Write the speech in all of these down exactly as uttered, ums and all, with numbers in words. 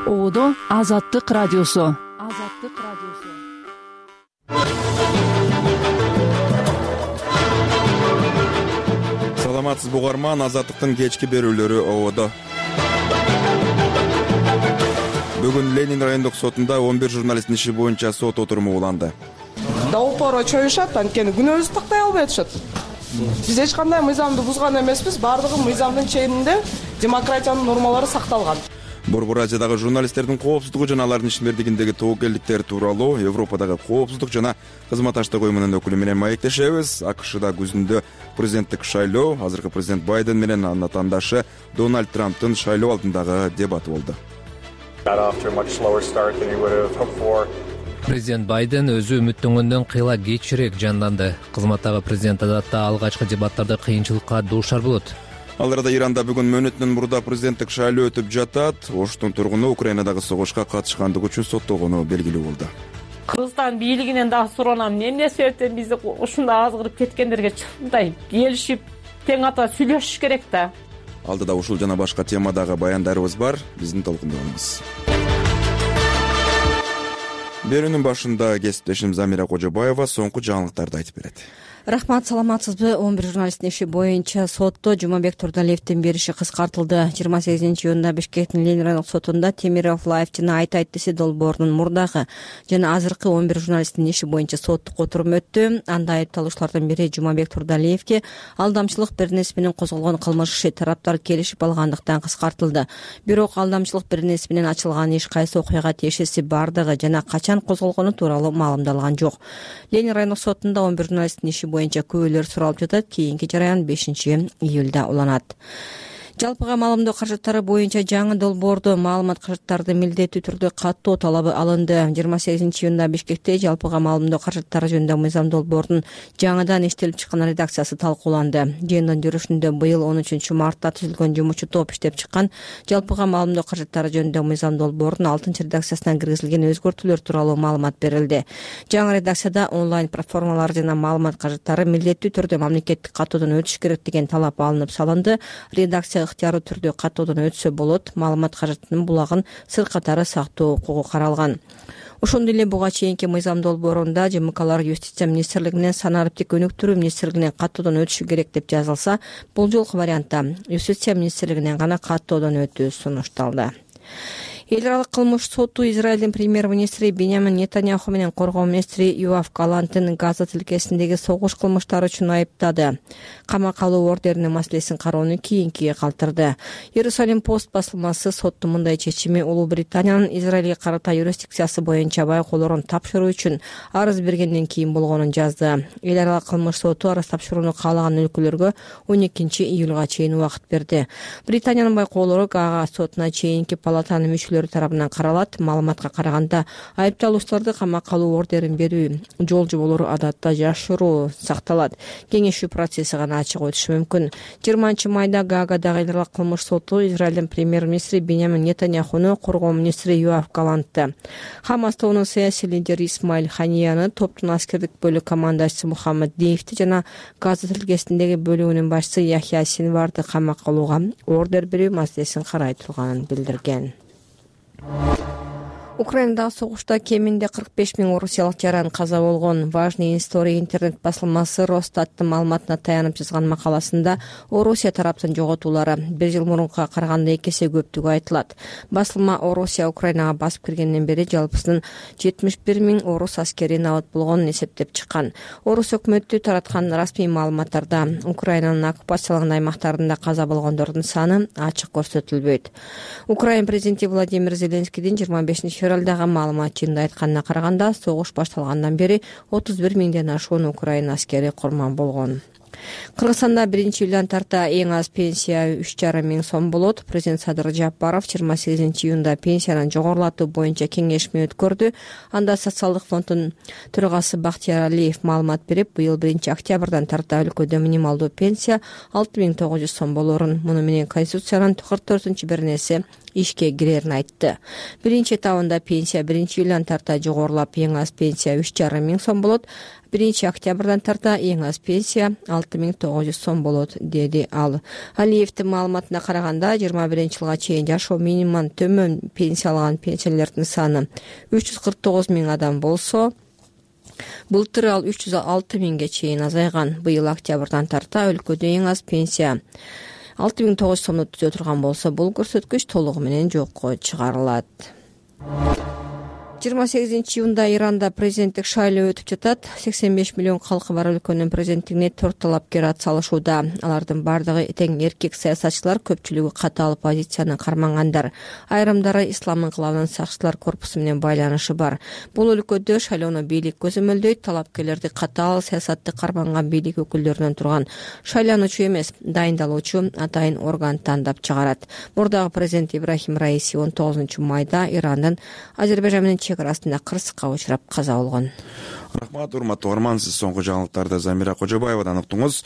Оодо Азаттык радиосу. Азаттык радиосу. Саламатсыз бугарман, Азаттыктын кечки берүүлөрү Оодо. Бүгүн Ленин райондук сотунда он бир журналисттин иши боюнча сот отуруму уланды. Да упора чоюшат, анткени күнөөбүздү тактай албай атышат. Биз эч кандай мыйзамды бузган эмеспиз, бардыгы мыйзамдын чегинде демократиянын нормалары сакталган. Борбор Азиядагы журналисттердин коопсуздугу жана алардын ишмердигиндеги тобокелдиктери тууралуу Европадагы коопсуздук жана кызматташтык уюмунун өкүлү менен маектешебиз. АКШда күзүндө президенттик шайлоо, азыркы президент Байден менен анын атаандашы Дональд Трамптын шайлоо алдындагы дебаты болду. Президент Байден өзү үмүттөнгөндөн кыйла кечирээк жанданды. Кызматтагы президент адатта алгачкы дебаттарда кыйынчылыкка дуушар болот. Ал арада Иранда бүгүн мөөнөтүнөн мурда президенттик шайлоо өтүп жатат. Оштун тургуну Украинадагы согушка катышкандыгы үчүн соттолгону белгилүү болду. Кыргызстан бийлигинен дагы суранам, эмне себептен бизди ушундай азгырып кеткендерге чындай келишип, тең ата сүйлөшүш керек да. Алдыда ушул жана башка темадагы баяндарыбыз бар. Биздин толкунда болуңуз. Берүүнүн башында кесиптешим Замира Кожобаева соңку жаңылыктарды айтып берет. Рахмат, саламатсызбы? он бир журналисттин иши боюнча сотто Жумабек Турдалиевдин бериши кыскартылды. жыйырма сегизинчи июнда Бишкектин Ленин райондук сотунда Темиров Лайф жана Айтай Тиси долбоорунун мурдагы жана азыркы он бир журналисттин иши боюнча соттук отурум өттү. Анда айыпталуучулардын бири Жумабек Турдалиевге алдамчылык беренеси менен козголгон кылмыш иши тараптар келишип алгандыктан кыскартылды. Бирок алдамчылык беренеси менен ачылган иш кайсы окуяга тиешеси бардыгы жана качан козголгону тууралуу маалымдалган жок. Ленин райондук сотунда он бир журналисттин иши боюнча күбөлөр суралып жатат. Кийинки жараян бешинчи июлда уланат. Жалпыга маалымдоо каражаттары боюнча жаңы долбоордо маалымат каражаттарды милдеттүү түрдө каттоо талабы алынды. жыйырма сегизинчи июнда Бишкекте жалпыга маалымдоо каражаттары жөнүндө мыйзам долбоордун жаңыдан иштелип чыккан редакциясы талкууланды. Жыйындын жүрүшүндө быйыл он үчүнчү мартта түзүлгөн жумушчу топ иштеп чыккан жалпыга маалымдоо каражаттары жөнүндө мыйзам долбоорунун алтынчы редакциясына киргизилген өзгөртүүлөр тууралуу маалымат берилди. Жаңы редакцияда онлайн платформалар жана маалымат каражаттары милдеттүү түрдө мамлекеттик каттоодон өтүш керек деген талап алынып салынды. Редакция ыктыярдуу түрдө каттоодон өтсө болот. Маалымат каражатынын булагын сыр катары сактоо укугу каралган. Ошондой эле буга чейинки мыйзам долбоорунда ЖМКлар Юстиция министрлигинен санариптик өнүктүрүү министрлигинен каттоодон өтүшү керек деп жазылса, бул жолку вариантта Юстиция министрлигинен гана каттоодон өтүү сунушталды. Эл аралык кылмыш соту Израилдин премьер-министри Биньямин Нетаньяху менен коргоо министри Юав Галанттын Газа тилкесиндеги согуш кылмыштары үчүн айыптады. Камакка алуу ордеринин маселесин кароону кийинкиге калтырды. Иерусалим пост басылмасы соттун мындай чечими Улуу Британиянын Израилге карата юрисдикциясы боюнча байкоолорун тапшыруу үчүн арыз бергенден кийин болгонун жазды. Эл аралык кылмыш соту арыз тапшырууну каалаган өлкөлөргө он экинчи июлга чейин убакыт берди. Британиянын байкоолору Гаага сотуна чейинки палатанын мүчөлөрү тарабынан каралат. Маалыматка караганда айыпталуучуларды камакка алуу ордерин берүү жол жоболору адатта жашыруу сакталат. Кеңешүү процесси гана ачык өтүшү мүмкүн. жыйырманчы майда Гаагадагы эл аралык кылмыш соту Израилдин премьер-министри Биньямин Нетаньяхуну коргоо министри Юав Галантты, Хамас тобунун саясий лидери Исмаил Ханияны, топтун аскердик бөлүк командачысы Мухаммед Дейвти жана Газа тилкесиндеги бөлүгүнүн башчысы Яхья Синварды камакка алууга ордер берүү маселесин карай турганын билдирген. Украинадагы согушта кеминде кырк беш миң орусиялык жаран каза болгон. Важный история интернет басылмасы Росстаттын маалыматына таянып жазган макаласында Орусия тараптын жоготуулары бир жыл мурункуга караганда эки эсе көптүгү айтылат. Басылма Орусия Украинага басып киргенден бери жалпысынан жетимиш бир миң орус аскери набат болгонун эсептеп чыккан. Орус өкмөтү тараткан расмий маалыматтарда Украинанын оккупацияланган аймактарында каза болгондордун саны ачык көрсөтүлбөйт. Украин президенти Владимир Зеленскийдин жыйырма бешинчи февралдагы маалымат жыйында айтканына караганда согуш башталгандан бери отуз бир миңден ашуун Украина аскери курман болгон. Кыргызстанда биринчи июлдан тарта эң аз пенсия үч жарым миң сом болот. Президент Садыр Жапаров жыйырма сегизинчи июнда пенсияны жогорулатуу боюнча кеңешме өткөрдү. Анда социалдык фонддун төрагасы Бактияр Алиев маалымат берип, быйыл биринчи октябрдан тарта өлкөдө минималдуу пенсия алты миң тогуз жүз сом болорун, муну менен Конституциянын кырк төртүнчү беренеси ишке кирерин айтты. Биринчи этабында пенсия биринчи июлдан тарта жогорулап, эң аз пенсия үч жарым миң сом болот. биринчи октябрдан тарта эң аз пенсия алты миң тогуз жүз сом болот, деди ал. Алиевдин маалыматына караганда жыйырма биринчи жылга чейин жашоо минимумунан төмөн пенсия алган пенсионерлердин саны үч жүз кырк тогуз миң адам болсо, былтыр ал үч жүз алты миңге чейин азайган. Быйыл октябрдан тарта өлкөдө эң аз пенсия алты миң тогуз жүз сомду түзө турган болсо, бул көрсөткүч толугу менен жокко чыгарылат. жыйырма сегизинчи июнда Иранда президенттик шайлоо өтүп жатат. сексен беш миллион калкы бар өлкөнүн президенттигине төрт талапкер ат салышууда. Алардын бардыгы тең эркек саясатчылар, көпчүлүгү катаал оппозицияны кармангандар. Айрымдары ислам инкылабынын сакчылар корпусу менен байланышы бар. Бул өлкөдө шайлоону бийлик көзөмөлдөйт. Талапкерлерди катаал саясатты карманган бийлик өкүлдөрүнөн турган шайлануучу эмес, дайындалуучу атайын орган тандап чыгарат. Мурдагы президент Ибрахим Раиси он тогузунчу майда Ирандын Азербайжан менен чек арасында кырсыкка учурап каза болгон. Рахмат, урматтуу угарман, сиз соңку жаңылыктарды Замира Кожобаевадан уктуңуз.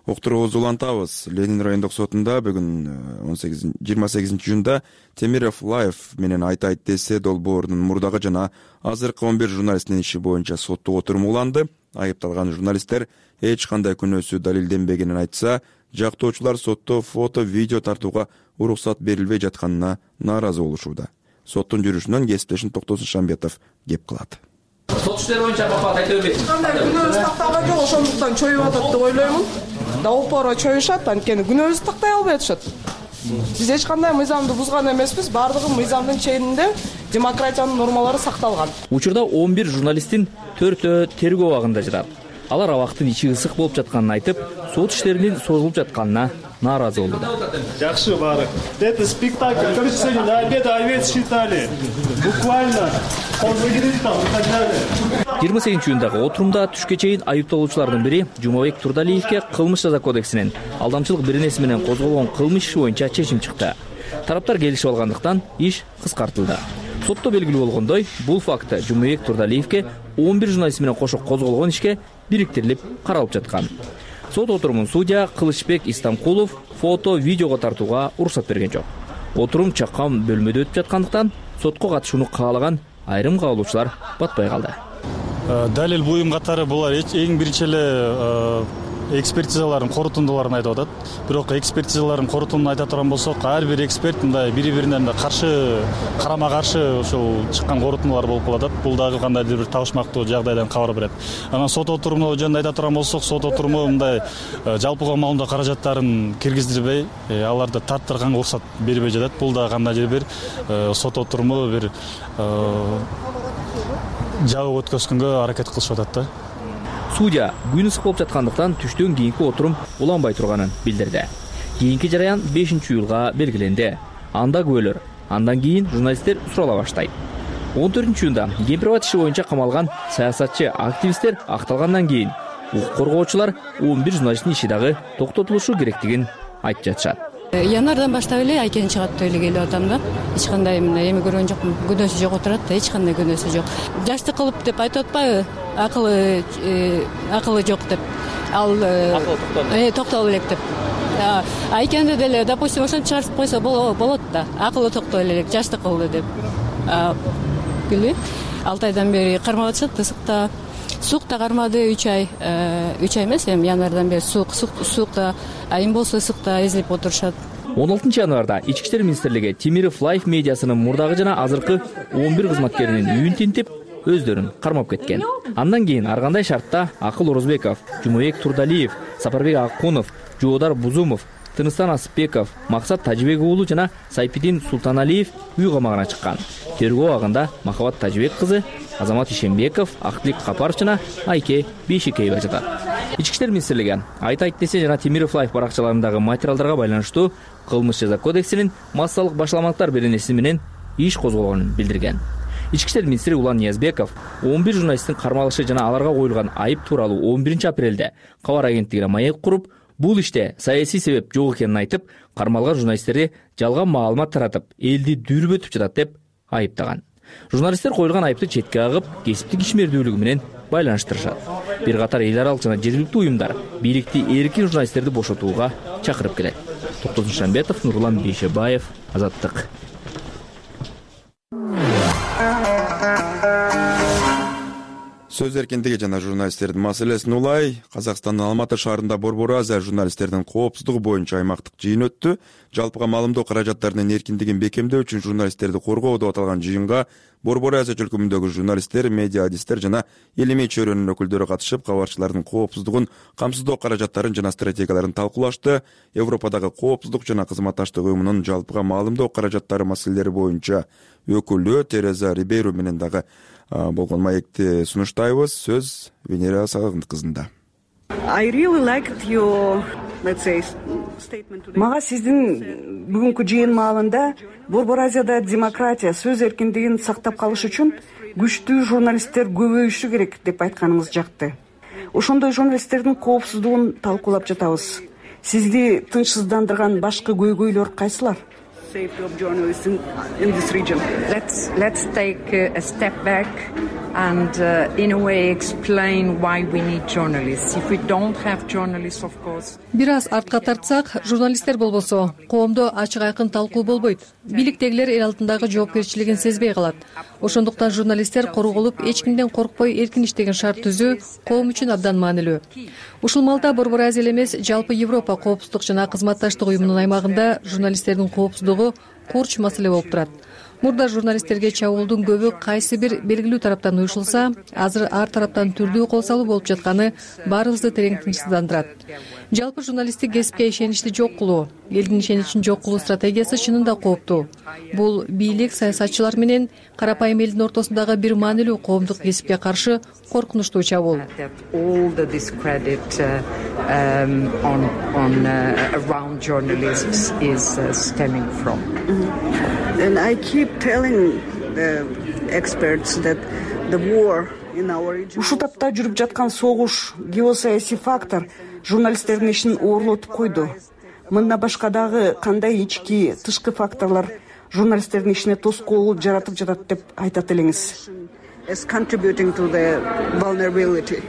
Уктуруубузду улантабыз. Ленин райондук сотунда бүгүн жыйырма сегизинчи июнда Темиров Лайф менен Айтайт десе долбоорунун мурдагы жана азыркы он бир журналисттин иши боюнча соттук отурум уланды. Айыпталган журналисттер эч кандай күнөөсү далилденбегенин айтса, жактоочулар сотто фото, видео тартууга уруксат берилбей жатканына нааразы болушууда. Соттун жүрүшүнөн кесиптешим Токтосун Шамбетов кеп кылат. Сот иштери боюнча бапат айта бербейсиз. Кандай күнөөбүз такталган жок, ошондуктан чоюп атат деп ойлоймун. Да упора чоюшат, анткени күнөөбүздү тактай албай атышат. Биз эч кандай мыйзамды бузган эмеспиз, бардыгы мыйзамдын чегинде демократиянын нормалары сакталган. Учурда он бир журналисттин төртөө тергөө абагында жатат. Алар абактын ичи ысык болуп жатканын айтып, сот иштеринин созулуп жатканына нааразы болду. Жакшы баары. Это спектакль. Короче, сегодня до обеда овец считали. Буквально. жыйырма сегизинчи июндагы отурумда түшкө чейин айыпталуучулардын бири Жумабек Турдалиевке кылмыш жаза кодексинин алдамчылык беренеси менен козголгон кылмыш иши боюнча чечим чыкты. Тараптар келишип алгандыктан иш кыскартылды. Сотто белгилүү болгондой, бул факты Жумабек Турдалиевке он бир журналист менен кошо козголгон ишке бириктирилип каралып жаткан. Сот отурумун судья Кылычбек Истамкулов фото, видеого тартууга уруксат берген жок. Отурум чакан бөлмөдө өтүп жаткандыктан сотко катышууну каалаган айрым каалоочулар батпай калды. Далил буюм катары булар эң биринчи эле экспертизалардын корутундуларын айтып атат. Бирок экспертизалардын корутундун айта турган болсок, ар бир эксперт мындай бири-бирине каршы, карама-каршы ошол чыккан корутундулар болуп калат. Бул дагы кандайдыр бир табышмактуу жагдайдан кабар берет. Анан сот отуруму жөнүндө айта турган болсок, сот отуруму мындай жалпыга маалымдоо каражаттарын киргиздирбей, аларды тарттырганга уруксат бербей жатат. Бул дагы кандайдыр бир сот отуруму бир жабык өткөзгөнгө аракет кылышып атат да. Судья күн ысык болуп жаткандыктан түштөн кийинки отурум уланбай турганын билдирди. Кийинки жараян бешинчи июлга белгиленди. Анда күбөлөр, андан кийин журналисттер сурала баштайт. он төртүнчү июнда Кемпирабад иши боюнча камалган саясатчы, активисттер акталгандан кийин укук коргоочулар он бир журналисттин иши дагы токтотулушу керектигин айтып жатышат. Январдан баштап эле айкен чыгат деп эле келип атам да. Эч кандай мына эми көргөн жокмун. Күнөөсү жок отурат да, эч кандай күнөөсү жок. Жашты кылып деп айтып атпайбы? Акылы акылы жок деп. Ал акылы токтоло элек деп. Айкенде деле, допустим, ошентип чыгарып койсо болот да. Акылы токтоло элек, жашты кылды деп. Билбейм. алты айдан бери кармап атышат ысыкта. Сукта кармады үч ай, үч ай эмес, эми январдан бери сук, сукта, айым болсо ысыкта изилип отурушат. он алтынчы январда Ички иштер министрлиги Темиров Лайф медиасынын мурдагы жана азыркы он бир кызматкеринин үйүн тинтип, өздөрүн кармап кеткен. Андан кийин ар кандай шартта Акыл Орозбеков, Жумабек Турдалиев, Сапарбек Акунов, Жоодар Бузумов, Тыныстан Асыпбеков, Максат Тажибек уулу жана Сайпидин Султаналиев үй камагына чыккан. Тергөө абагында Махабат Тажибек кызы, Азамат Ишембеков, Актилик Капаров жана Айке Бейшикеева жатат. Ички иштер министрлиги Айтайт десе жана Темиров Лайф баракчаларындагы материалдарга байланыштуу кылмыш жаза кодексинин массалык башаламаттар беренеси менен иш козголгонун билдирген. Ички иштер министри Улан Ниязбеков он бир журналисттин кармалышы жана аларга коюлган айып тууралуу он биринчи апрелде кабар агенттигине маек куруп, бул иште саясий себеп жок экенин айтып, кармалган журналисттерди жалган маалымат таратып, элди дүрбөтүп жатат деп айыптаган. Журналисттер коюлган айыпты четке агып, кесиптик ишмердүүлүгү менен байланыштырышат. Бир катар эл аралык жана жергиликтүү уюмдар бийликти эркин журналисттерди бошотууга чакырып келет. Токтосун Шамбетов, Нурлан Бейшебаев, Азаттык. Сөз эркиндиги жана журналисттердин маселесин улай Казакстандын Алматы шаарында Борбор Азия журналисттердин коопсуздугу боюнча аймактык жыйын өттү. Жалпыга маалымдоо каражаттарынын эркиндигин бекемдөө үчүн журналисттерди коргоо деп аталган жыйынга Борбор Азия өлкөмүндөгү журналисттер, медиа адистер жана илимий чөйрөнүн өкүлдөрү катышып, кабарчылардын коопсуздугун камсыздоо каражаттарын жана стратегияларын талкуулашты. Европадагы коопсуздук жана кызматташтык уюмунун жалпыга маалымдоо каражаттары маселелери боюнча өкүлү Тереза Рибейро менен дагы болгон маекти сунуштайбыз. Сөз Венера Сагындык кызында. Мага сиздин бүгүнкү жыйын маалында Борбор Азияда демократия, сөз эркиндигин сактап калыш үчүн күчтүү журналисттер көбөйүшү керек деп айтканыңыз жакты. Ошондой журналисттердин коопсуздугун талкуулап жатабыз. Сизди тынчсыздандырган башкы көйгөйлөр кайсылар? Let's let's take a step back and uh, in a way explain why we need journalists. If we don't have journalists, of course. Бир аз артка тартсак, журналисттер болбосо, коомдо ачык айкын талкуу болбойт. Бийликтегилер эл алдындагы жоопкерчилигин сезбей калат. Ошондуктан журналисттер корголуп, эч кимден коркпой эркин иштеген шарт түзүү коом үчүн абдан маанилүү. Ушул маалда Борбор Азия эмес, жалпы Европа коопсуздук жана кызматташтык уюмунун аймагында журналисттердин коопсуздугу курч маселе болуп турат. Мурда журналисттерге чабуулдун көбү кайсы бир белгилүү тараптан уюшулса, азыр ар тараптан түрдүү кол салуу болуп жатканы баарыбызды терең тынчсыздандырат. Жалпы журналисттик кесипке ишеничти жок кылуу, элдин ишеничин жок кылуу стратегиясы чынында кооптуу. Бул бийлик, саясатчылар менен карапайым элдин ортосундагы бир маанилүү коомдук кесипке каршы коркунучтуу чабуул. And I keep telling the experts that the war in our region. Ушул тапта жүрүп жаткан согуш, геосаясий фактор журналисттердин ишин оорлотуп койду. Мындан башка дагы кандай ички, тышкы факторлор журналисттердин ишине тоскоол жаратып жатат деп айтат элеңиз? Is contributing to the vulnerability.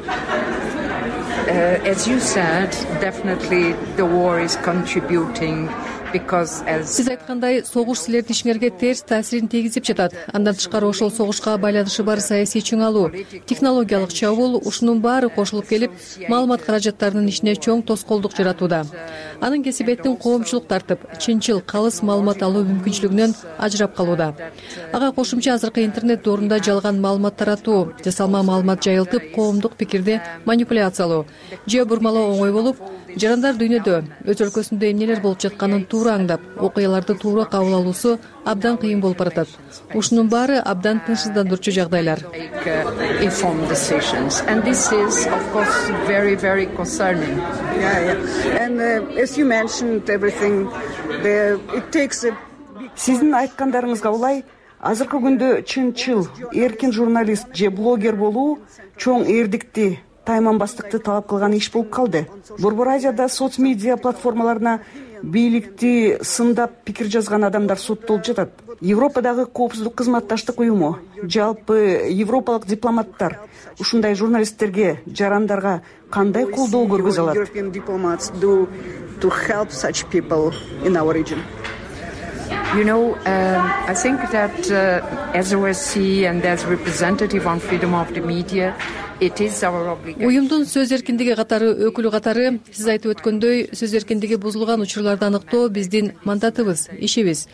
Uh, as you said, definitely the war is contributing. Сиз айткандай, согуш силердин ишиңерге терс таасирин тийгизип жатат. Андан тышкары ошол согушка байланышы бар саясий чыңалуу, технологиялык чабуул, ушунун баары кошулуп келип, маалымат каражаттарынын ишине чоң тоскоолдук жаратууда. Анын кесибеттин коомчулук тартып, чынчыл, калыс маалымат алуу мүмкүнчүлүгүнөн ажырап калууда. Ага кошумча азыркы интернет доорунда жалган маалымат таратуу, жасалма маалымат жайылтып, коомдук пикирди манипуляциялоо же бурмалоо оңой болуп, жарандар дүйнөдө өз өлкөсүндө эмнелер болуп жатканын туура аңдап, окуяларды туура кабыл алуусу абдан кыйын болуп баратат. Ушунун баары абдан тынчсыздандырчу жагдайлар. Informed decisions, and this is, of course, very, very concerning. Yeah, yeah. And uh, as you mentioned, everything, the, it takes a. Сиздин айткандарыңызга улай, азыркы күндө чынчыл, эркин журналист же блогер болуу чоң эрдикти, тайманбастыкты талап кылган иш болуп калды. Борбор Азияда соц медиа платформаларына бийликти сындап пикир жазган адамдар соттолуп жатат. Европадагы коопсуздук кызматташтык уюму, жалпы европалык дипломаттар ушундай журналисттерге, жарандарга кандай колдоо көргөзө алат? European diplomats do to help such people in our region? You know, um, I think that uh, as O S C and as representative on freedom of the media, Уюмдун сөз эркиндиги катары өкүлү катары сиз айтып өткөндөй, сөз эркиндиги бузулган учурларды аныктоо биздин мандатыбыз, ишибиз.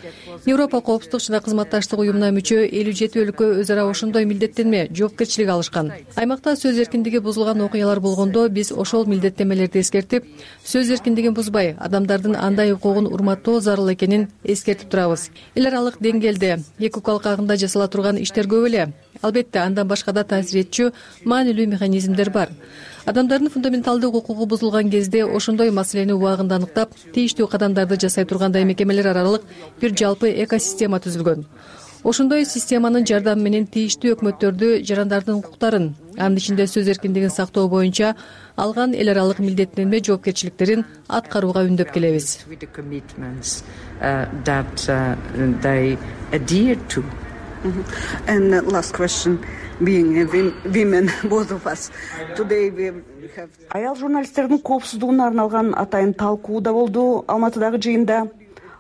Европа коопсуздук жана кызматташтык уюмуна мүчө элүү жети өлкө өз ара ошондой милдеттенме, жоопкерчилик алышкан. Аймакта сөз эркиндиги бузулган окуялар болгондо биз ошол милдеттенмелерди эскертип, сөз эркиндигин бузбай, адамдардын андай укугун урматтоо зарыл экенин эскертип турабыз. Эл аралык деңгээлде эки укук агында жасала турган иштер көп эле. Албетте, андан башка да таасир этчү маанилүү механизмдер бар. Адамдардын фундаменталдык укугу бузулган кезде ошондой маселени убагында аныктап, тийиштүү кадамдарды жасай тургандай мекемелер аралык бир жалпы экосистема түзүлгөн. Ошондой системанын жардамы менен тийиштүү өкмөттөрдү жарандардын укуктарын, анын ичинде сөз эркиндигин сактоо боюнча алган эл аралык милдеттенме жоопкерчиликтерин аткарууга үндөп келебиз. Mm-hmm. And uh, last question, being a women, both of us, today we have. Аял журналисттердин коопсуздугуна арналган атайын талкуу да болду Алматыдагы жыйында.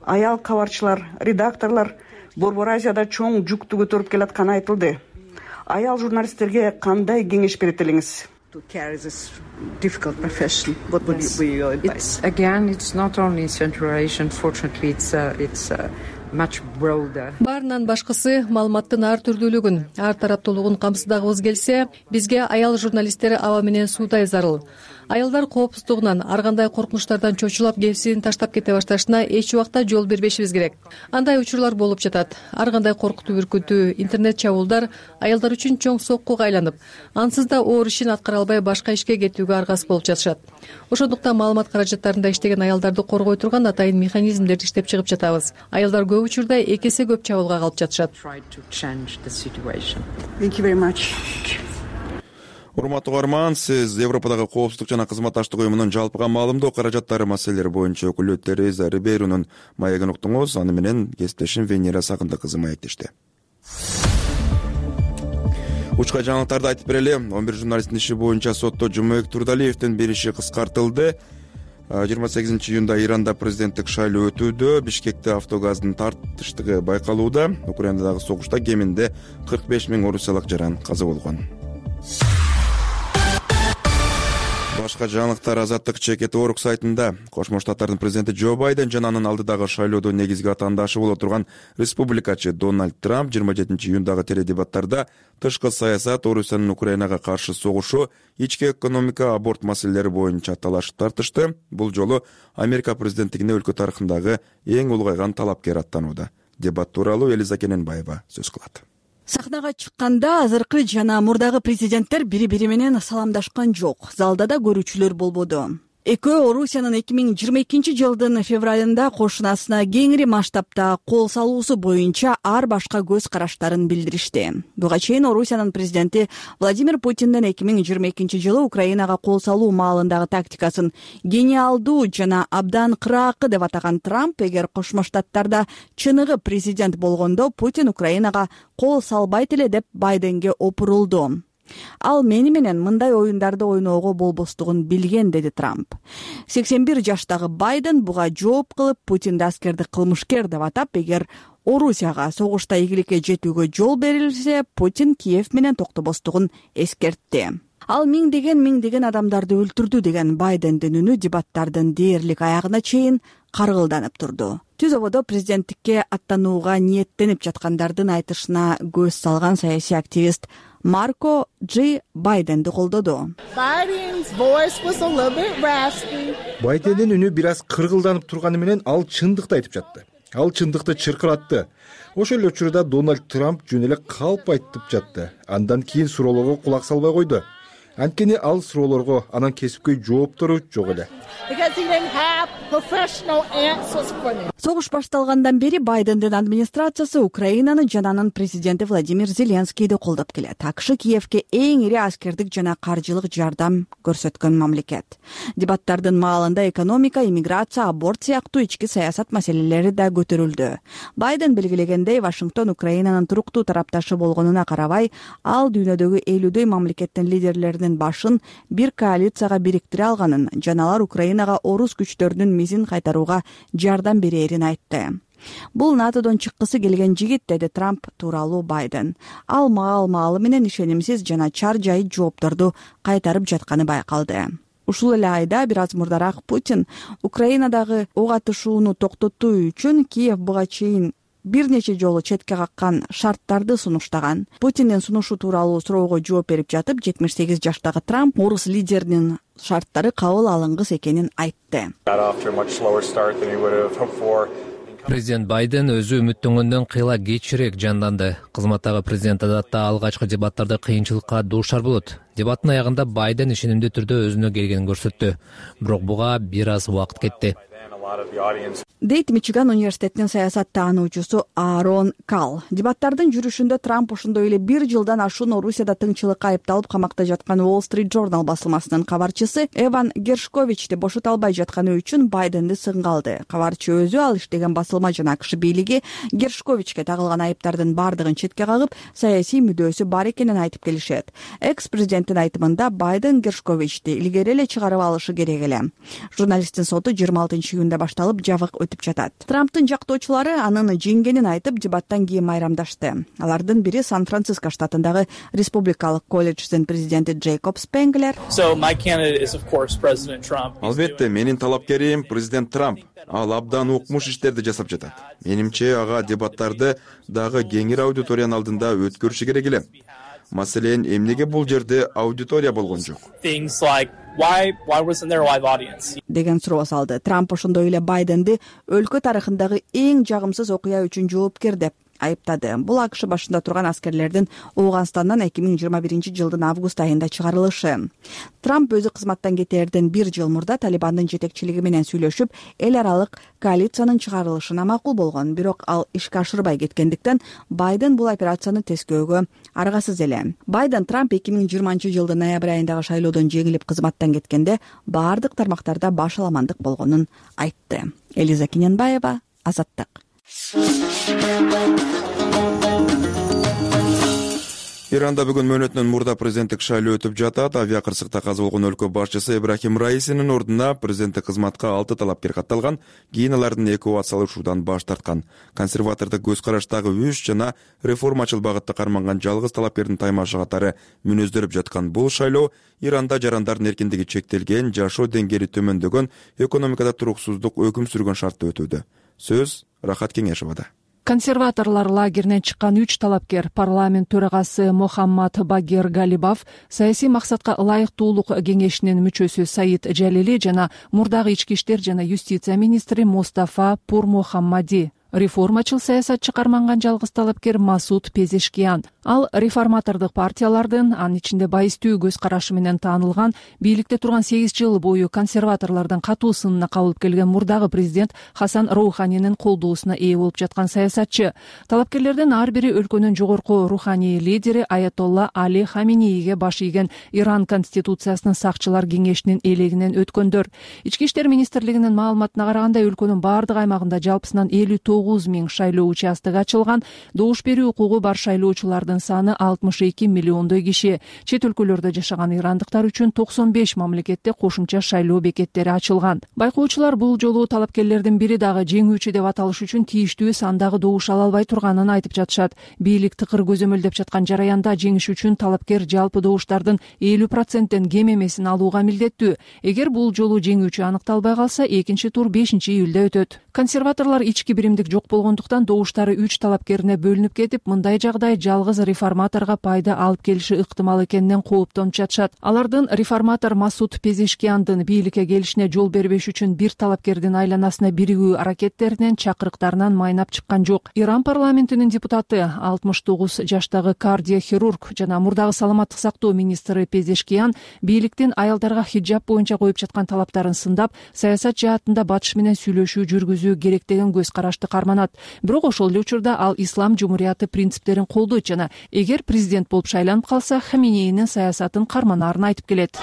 Аял кабарчылар, редакторлор Борбор Азияда чоң жүктү көтөрүп келатканы айтылды. аял журналисттерге кандай кеңеш берет элеңиз? Again, it's not only Central Asia. Unfortunately, it's uh, it's uh, much broader. Баарынан башкысы маалыматтын ар түрдүүлүгүн, ар тараптуулугун камсыздагыбыз келсе, бизге аял журналисттер аба менен суудай зарыл. Аялдар коопсуздугунан ар кандай коркунучтардан чочулап кесибин таштап кете башташына эч убакта жол бербешибиз керек. Андай учурлар болуп жатат. Ар кандай коркутуу, үркүтүү, интернет чабуулдар аялдар үчүн чоң соккуга айланып, ансыз да оор ишин аткара албай башка ишке кетүүгө аргасыз болуп жатышат. Ошондуктан маалымат каражаттарында иштеген аялдарды коргой турган атайын механизмдерди иштеп чыгып жатабыз. Аялдар көп учурда эки эсе көп чабуулга калып жатышат. Thank you very much. Урматтуу угарман, сиз Европадагы коопсуздук жана кызматташтык уюмунун жалпыга маалымдоо каражаттары маселелери боюнча өкүлү Тереза Рибейрунун маегин уктуңуз. Аны менен кесиптешим Венера Сагындык кызы маектешти. Учка жаңылыктарды айтып берели. он бир журналисттин иши боюнча сотто Жумабек Турдалиевдин бир иши кыскартылды. жыйырма сегизинчи июнда Иранда президенттик шайлоо өтүүдө Бишкекте автогаздын тартыштыгы байкалууда. Украинадагы согушта кеминде кырк беш миң орусиялык жаран каза болгон. Башка жаңылыктар Азаттык чекет орг сайтында Кошмо Штаттардын президенти Джо Байден жана анын алдыдагы шайлоодо негизги атаандашы боло турган республикачы Дональд Трамп жыйырма жетинчи июндагы теледебаттарда тышкы саясат, Орусиянын Украинага каршы согушу, ички экономика, аборт маселелери боюнча талашып тартышты. Бул жолу Америка президенттигине өлкө тарыхындагы эң улгайган талапкер аттанууда. Дебат тууралуу Элиза Кененбаева сөз кылат. Сахнага чыкканда азыркы жана мурдагы президенттер бири-бири менен саламдашкан жок. Залда да көрүүчүлөр болбоду. Экөө Орусиянын эки миң жыйырма экинчи жылдын февралында кошунасына кеңири масштабта кол салуусу боюнча ар башка көз караштарын билдиришти. Буга чейин Орусиянын президенти Владимир Путиндин эки миң жыйырма экинчи жылы Украинага кол салуу маалындагы тактикасын гениалдуу жана абдан кыраакы деп атаган Трамп, эгер Кошмо Штаттарда чыныгы президент болгондо Путин Украинага кол салбайт эле деп Байденге опурулду. Ал мени менен мындай оюндарды ойноого болбостугун билген, деди Трамп. сексен бир жаштагы Байден буга жооп кылып, Путинди аскерди кылмышкер деп атап, эгер Орусияга согушта ийгиликке жетүүгө жол берилсе, Путин Киев менен токтобостугун эскертти. Ал миңдеген миңдеген адамдарды өлтүрдү деген Байдендин үнү дебаттардын дээрлик аягына чейин каргылданып турду. Түз ободо президенттикке аттанууга ниеттенип жаткандардын айтышына көз салган саясий активист Марко Джи Байденди колдоду. Байдендин үнү бир аз кыргылданып турганы менен ал чындыкты айтып жатты. Ал чындыкты чыркыратты. Ошол эле учурда Дональд Трамп жөн эле калп айтып жатты. Андан кийин суроолорго кулак салбай койду. Анткени ал суроолорго анын кесипкөй жооптору жок эле. Согуш башталгандан бери Байдендин администрациясы Украинаны жана анын президенти Владимир Зеленскийди колдоп келет. АКШ Киевке эң ири аскердик жана каржылык жардам көрсөткөн мамлекет. Дебаттардын маалында экономика, иммиграция, аборт сыяктуу ички саясат маселелери да көтөрүлдү. Байден белгилегендей, Вашингтон Украинанын туруктуу тарапташы болгонуна карабай, ал дүйнөдөгү элүүдөй мамлекеттин лидерлеринин башын бир коалицияга бириктире алганын, жана алар Украинага орус күчтөрүнүн мизин кайтарууга жардам берерин айтты. Бул НАТОдон чыккысы келген жигит, деди Трамп тууралуу Байден. Ал маал-маалы менен ишенимсиз жана чар жай жоопторду кайтарып жатканы байкалды. Ушул эле айда бир аз мурдараак Путин Украинадагы ок атышууну токтотуу үчүн Киев буга чейин бир нече жолу четке каккан шарттарды сунуштаган. Путиндин сунушу тууралуу суроого жооп берип жатып, жетимиш сегиз жаштагы Трамп орус лидеринин шарттары кабыл алынгыс экенин айтты. Президент Байден өзү үмүттөнгөндөн кыйла кечирээк жанданды. Кызматтагы президент адатта алгачкы дебаттарда кыйынчылыкка дуушар болот. Дебаттын аягында Байден ишенимдүү түрдө өзүнө келгенин көрсөттү. Бирок буга бир аз убакыт кетти. Дейт Мичиган университетинин саясат таануучусу Аарон Кал. Дебаттардын жүрүшүндө Трамп ошондой эле бир жылдан ашуун Орусияда тыңчылыкка айыпталып камакта жаткан Wall Street Journal басылмасынын кабарчысы Эван Гершковичти бошото албай жатканы үчүн Байденди сынга алды. Кабарчы өзү ал иштеген басылма жана АКШ бийлиги Гершковичке тагылган айыптардын бардыгын четке кагып, саясий мүдөөсү бар экенин айтып келишет. Экс-президенттин айтымында Байден Гершковичти илгери эле чыгарып алышы керек эле. Журналисттин соту жыйырма алтынчы июнда шаарында башталып жабык өтүп жатат. Трамптын жактоочулары анын жеңгенин айтып дебаттан кийин майрамдашты. Алардын бири Сан-Франциско штатындагы республикалык колледждин президенти Джейкоб Спенглер. Албетте, менин талапкерим президент Трамп. Ал абдан укмуш иштерди жасап жатат. Менимче ага дебаттарды дагы кеңир аудиториянын алдында өткөрүшү керек эле. Маселен, эмнеге бул жерде аудитория болгон жок? Деген суроо салды. Трамп ошондой эле Байденди өлкө тарыхындагы эң жагымсыз окуя үчүн жоопкер деп айыптады. Бул АКШ башында турган аскерлердин Ооганстандан эки миң жыйырма биринчи жылдын август айында чыгарылышы. Трамп өзү кызматтан кетээрден бир жыл мурда Талибандын жетекчилиги менен сүйлөшүп, эл аралык коалициянын чыгарылышына макул болгон. Бирок ал ишке ашырбай кеткендиктен Байден бул операцияны тескөөгө аргасыз эле. Байден Трамп эки миң жыйырманчы жылдын ноябрь айындагы шайлоодон жеңилип кызматтан кеткенде баардык тармактарда башаламандык болгонун айтты. Элиза Киненбаева, Азаттык. Иранда бүгүн мөөнөтүнөн мурда президенттик шайлоо өтүп жатат. Авиа кырсыкта каза болгон өлкө башчысы Ибрахим Раисинин ордуна президенттик кызматка алты талапкер катталган. Кийин алардын эвакуациялашуудан баш тарткан. Консерватордук көз караштагы үч жана реформачыл багытта карманган жалгыз талапкердин таймашы катары мүнөздөрүп жаткан бул шайлоо Иранда жарандардын эркиндиги чектелген, жашоо деңгээли төмөндөгөн, экономикада туруксуздук өкүм сүргөн шартта өтүүдө. Сөз Рахат Кеңешовада. Консерваторлор лагеринен чыккан үч талапкер парламент төрагасы Мохаммад Багир Галибов, саясий максатка ылайыктуулук кеңешинин мүчөсү Саид Жалили жана мурдагы ички иштер жана юстиция министри Мустафа Пурмухаммади. Реформачыл саясатчы карманган жалгыз талапкер Масуд Пезешкиян. Ал реформатордук партиялардын, анын ичинде байыстуу көз карашы менен таанылган, бийликте турган сегиз жыл бою консерваторлордун катуу сынына кабылып келген мурдагы президент Хасан Роуханинин колдоосуна ээ болуп жаткан саясатчы. Талапкерлердин ар бири өлкөнүн жогорку руханий лидери Аятолла Али Хаминейге баш ийген Иран конституциясынын сакчылар кеңешинин элегинен өткөндөр. Ички иштер министрлигинин маалыматына караганда өлкөнүн баардык аймагында жалпысынан элүү тогуз миң шайлоо участогу ачылган. Добуш берүү укугу бар шайлоочулардын саны алтымыш эки миллиондой киши. Чет өлкөлөрдө жашаган ирандыктар үчүн токсон беш мамлекетте кошумча шайлоо бекеттери ачылган. Байкоочулар бул жолу талапкерлердин бири дагы жеңүүчү деп аталыш үчүн тийиштүү сандагы добуш ала албай турганын айтып жатышат. Бийлик тыкыр көзөмөлдөп жаткан жараянда жеңиш үчүн талапкер жалпы добуштардын элүү проценттен кем эмесин алууга милдеттүү. Эгер бул жолу жеңүүчү аныкталбай калса, экинчи тур бешинчи июлда өтөт. Консерваторлор ички биримдик жок болгондуктан добуштары үч талапкерине бөлүнүп кетип, мындай жагдай жалгыз реформаторго пайда алып келиши ыктымал экенинен кооптонуп жатышат. Алардын реформатор Масуд Пезешкияндын бийликке келишине жол бербеш үчүн бир талапкердин айланасына биригүү аракеттеринен, чакырыктарынан майнап чыккан жок. Иран парламентинин депутаты алтымыш тогуз жаштагы кардиохирург жана мурдагы саламаттык сактоо министри Пезешкиян бийликтин аялдарга хиджаб боюнча коюп жаткан талаптарын сындап, саясат жаатында батыш менен сүйлөшүү жүргүзүү керек деген көз карашты карманат. Бирок ошол эле учурда ал ислам жумурияты принциптерин колдойт жана эгер президент болуп шайланып калса, Хаминейнин саясатын карманаарын айтып келет.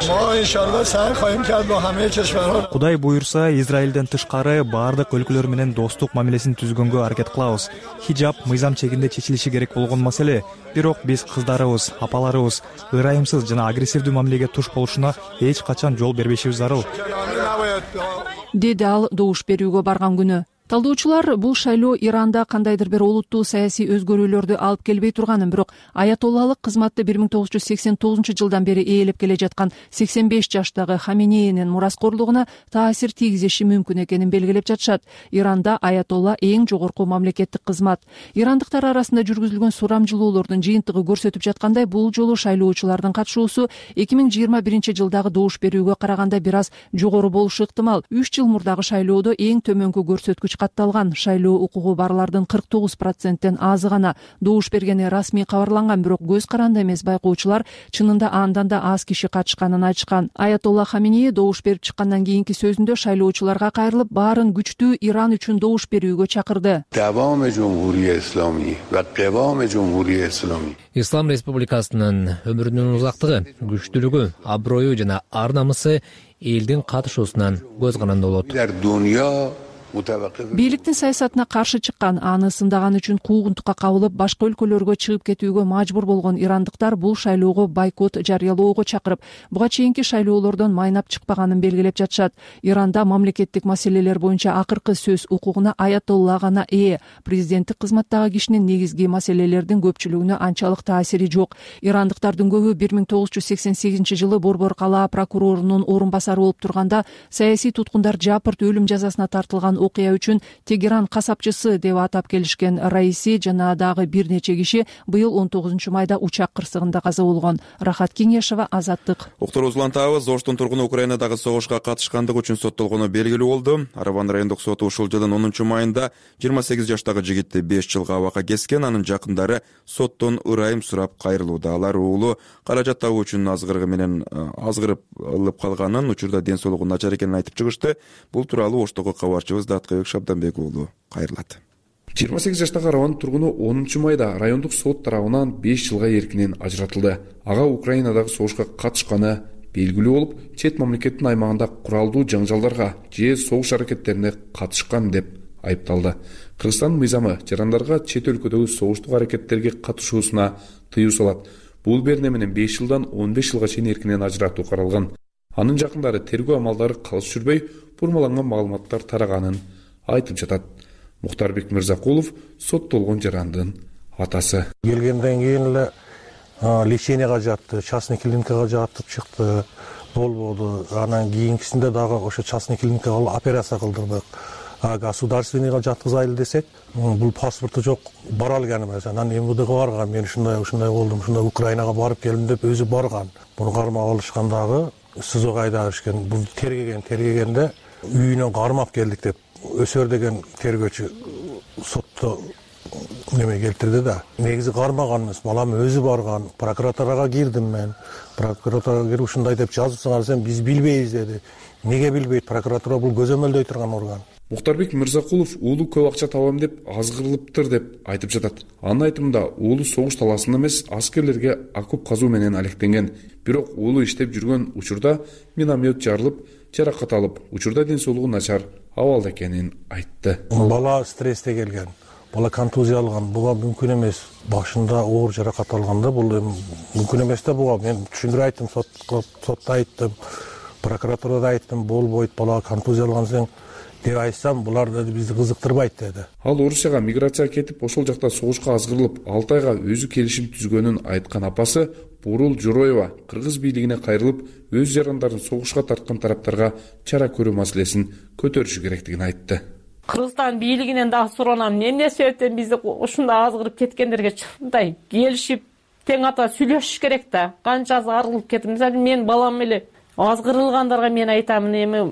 Кудай буйрса, Израилден тышкары баардык өлкөлөр менен достук мамилесин түзгөнгө аракет кылабыз. Хиджаб мыйзам чегинде чечилиши керек болгон маселе. Бирок биз кыздарыбыз, апаларыбыз ырайымсыз жана агрессивдүү мамилеге туш болушуна эч качан жол бербешибиз зарыл, деди ал добуш берүүгө барган күнү. Талдоочулар бул шайлоо Иранда кандайдыр бир олуттуу саясий өзгөрүүлөрдү алып келбей турганын, бирок аятоллалык кызматты бир миң тогуз жүз сексен тогузунчу жылдан бери ээлеп келе жаткан сексен беш жаштагы Хаминейнин мураскорлугуна таасир тийгизиши мүмкүн экенин белгилеп жатышат. Иранда аятолла эң жогорку мамлекеттик кызмат. Ирандыктар арасында жүргүзүлгөн сурамжылоолордун жыйынтыгы көрсөтүп жаткандай, бул жолу шайлоочулардын катышуусу эки миң жыйырма биринчи жылдагы добуш берүүгө караганда бир аз жогору болушу ыктымал. үч жыл мурдагы шайлоодо эң төмөнкү көрсөткүч катталган. Шайлоо укугу барлардын кырк тогуз проценттен азы гана добуш бергени расмий кабарланган, бирок көз каранды эмес байкоочулар чынында андан да аз киши катышканын айтышкан. Аятолла Хаминей добуш берип чыккандан кийинки сөзүндө шайлоочуларга кайрылып, баарын күчтүү Иран үчүн добуш берүүгө чакырды. Ислам республикасынын өмүрүнүн узактыгы, күчтүүлүгү, аброю жана ар намысы элдин катышуусунан көз каранды болот. бийликтин саясатына каршы чыккан, аны сындаган үчүн куугунтукка кабылып, башка өлкөлөргө чыгып кетүүгө мажбур болгон ирандыктар бул шайлоого бойкот жарыялоого чакырып, буга чейинки шайлоолордон майнап чыкпаганын белгилеп жатышат. Иранда мамлекеттик маселелер боюнча акыркы сөз укугуна аятолла гана ээ. Президенттик кызматтагы кишинин негизги маселелердин көпчүлүгүнө анчалык таасири жок. Ирандыктардын көбү бир миң тогуз жүз сексен сегизинчи жылы Борбор калаа прокурорунун орун басары болуп турганда саясий туткундар жапырт өлүм жазасына тартылган окуя үчүн Тегеран касапчысы деп атап келишкен. Раиси жана дагы бир нече киши быйыл он тогузунчу майда учак кырсыгында каза болгон. Рахат Кеңешова, Азаттык. Уктур Узлантабыз, Оштун тургуну Украинадагы согушка катышкандыгы үчүн соттолгону белгилүү болду. Арабан райондук соту ушул жылдын онунчу майында жыйырма сегиз жаштагы жигитти беш жылга абакка кескен. Анын жакындары соттон ырайым сурап кайрылууда. Алар уулу каражат табуу үчүн азгырыгы менен азгырып алып калганын, учурда ден соолугу начар экенин айтып чыгышты. Бул тууралуу Оштогу кабарчыбыз Даткыбек Шабданбек уулу кайрылат. жыйырма сегиз жаштагы Арабан тургуну онунчу майда райондук сот тарабынан беш жылга эркинен ажыратылды. Ага Украинадагы согушка катышканы белгилүү болуп, чет мамлекеттин аймагында куралдуу жаңжалдарга же согуш аракеттерине катышкан деп айыпталды. Кыргызстандын мыйзамы жарандарга чет өлкөдөгү согуштук аракеттерге катышуусуна тыюу салат. Бул берне менен беш жылдан он беш жылга чейин эркинен ажыратуу каралган. Анын жакындары тергөө амалдары калыс жүрбөй, бурмаланган маалыматтар тараганын айтып жатат. Мухтарбек Мырзакулов соттолгон жарандын атасы. Келгенден кийин эле леченияга жатты, частный клиникага жатып чыкты, болбоду. Анан кийинкисинде дагы ошо частный клиникага операция кылдырдык. А государственныйга жаткызайлы десек, бул паспорту жок, бара алган эмес. Анан МВДга барган, мен ушундай ушундай болдум, ушундай Украинага барып келдим деп өзү барган. Муну кармап алышкандагы СИЗОго айдап беришкен. Бул тергеген, тергегенде үйүнөн кармап келдик деп Өсөр деген тергөөчү сотто неме келтирди да. Негизи кармаган эмес, балам өзү барган. Прокуратурага кирдим мен. Прокуратурага кирип ушундай деп жазыпсыңар десем, биз билбейбиз деди. Неге билбейт? Прокуратура бул көзөмөлдөй турган орган. Мухтарбек Мырзакулов уулу көп акча табам деп азгырылыптыр деп айтып жатат. Анын айтымында уулу согуш таласында эмес, аскерлерге окоп казуу менен алектенген. Бирок уулу иштеп жүргөн учурда миномет жарылып, жаракат алып, учурда ден соолугу начар абалда экенин айтты. Бала стрессте келген. Бала контузия алган. Буга мүмкүн эмес. Башында оор жаракат алганда бул мүмкүн эмес да буга. Мен түшүндүрүп айттым, сотко сотто айттым, прокуратурада айттым, болбойт, бала контузия алган сен деп айтсам, булар да бизди кызыктырбайт деди. Ал Орусияга миграцияга кетип, ошол жакта согушка азгырылып, алты айга өзү келишим түзгөнүн айткан апасы Бурул Журоева кыргыз бийлигине кайрылып, өз жарандарын согушка тарткан тараптарга чара көрүү маселесин көтөрүшү керектигин айтты. Кыргызстан бийлигинен дагы суранам, эмне себептен бизди ушундай азгырып кеткендерге чындай келишип, тең ата сүйлөшүш керек да. Канча азгырылып кетти. Мисалы, мен балам эле азгырылгандарга мен айтамын, эми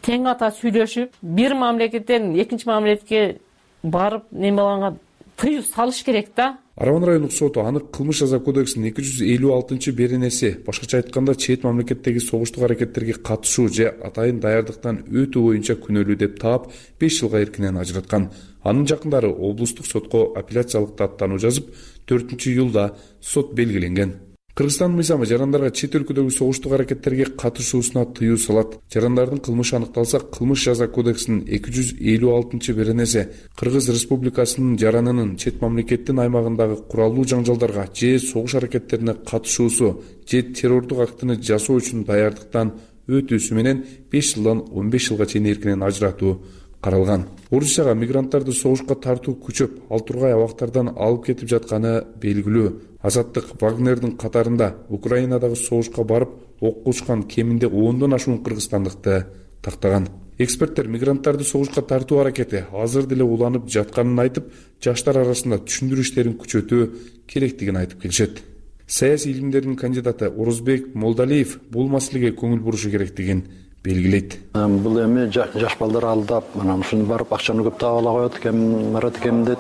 тең ата сүйлөшүп, бир мамлекеттен экинчи мамлекетке барып неме болгонго тыюу салыш керек да. Арабан райондук соту аны кылмыш жаза кодексинин эки жүз элүү алтынчы беренеси, башкача айтканда чет мамлекеттеги согуштук аракеттерге катышуу же атайын даярдыктан өтүү боюнча күнөөлүү деп таап, беш жылга эркинен ажыраткан. Анын жакындары облустук сотко апелляциялык даттануу жазып, төртүнчү июлда сот белгиленген. Кыргызстан мыйзамы жарандарга чет өлкөдөгү согуштук аракеттерге катышуусуна тыюу салат. Жарандардын кылмышы аныкталса, кылмыш жаза кодексинин эки жүз элүү алтынчы беренеси Кыргыз Республикасынын жаранынын чет мамлекеттин аймагындагы куралдуу жаңжалдарга же согуш аракеттерине катышуусу же террордук актыны жасоо үчүн даярдыктан өтүүсү менен беш жылдан он беш жылга чейин эркинен ажыратуу каралган. Орусияга мигранттарды согушка тартуу күчөп, ал тургай абактардан алып кетип жатканы белгилүү. Азаттык Вагнердин катарында Украинадагы согушка барып, окко учкан кеминде ондон ашуун кыргызстандыкты тактаган. Эксперттер мигранттарды согушка тартуу аракети азыр деле уланып жатканын айтып, жаштар арасында түшүндүрүү иштерин күчөтүү керектигин айтып келишет. Саясий илимдердин кандидаты Орозбек Молдалиев бул маселеге көңүл бурушу керектигин белгилейт. Бул эми жаш балдар алдап, анан ушуну барып акчаны көп таап ала коет экен, марат экен деп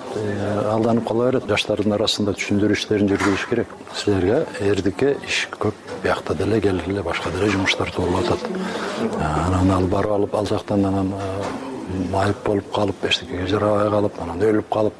алданып кала берет. Жаштардын арасында түшүндүрүү иштерин жүргүзүш керек. Силерге эрдикке иш көп, биякта деле келип эле башка деле жумуштар болуп атат. Анан ал барып алып ал жактан анан майып болуп калып эчтекеге жарабай калып анан өлүп калып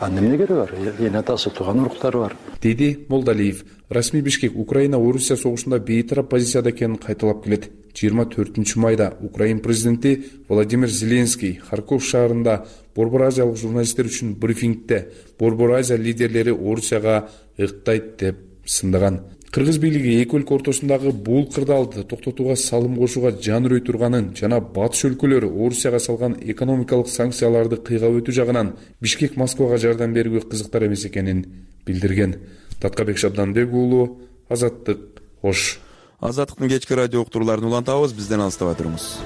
анан эмне кереги бар? Эне атасы тууган уруктары бар, деди Молдалиев. Расмий Бишкек Украина Орусия согушунда бейтарап позицияда экенин кайталап келет. жыйырма төртүнчү майда Украин президенти Владимир Зеленский Харьков шаарында Борбор Азиялык журналисттер үчүн брифингде Борбор Азия лидерлери Орусияга ыктайт деп сындаган. Кыргыз бийлиги эки өлкө ортосундагы бул кырдаалды токтотууга салым кошууга жан үрөй турганын жана батыш өлкөлөрү Орусияга салган экономикалык санкцияларды кыйгап өтүү жагынан Бишкек Москвага жардам берүүгө кызыктар эмес экенин билдирген. Таткабек Шабданбек уулу, Азаттык, Ош. Азаттыктын кечки радио уктурууларын улантабыз, бизден алыстабай туруңуз.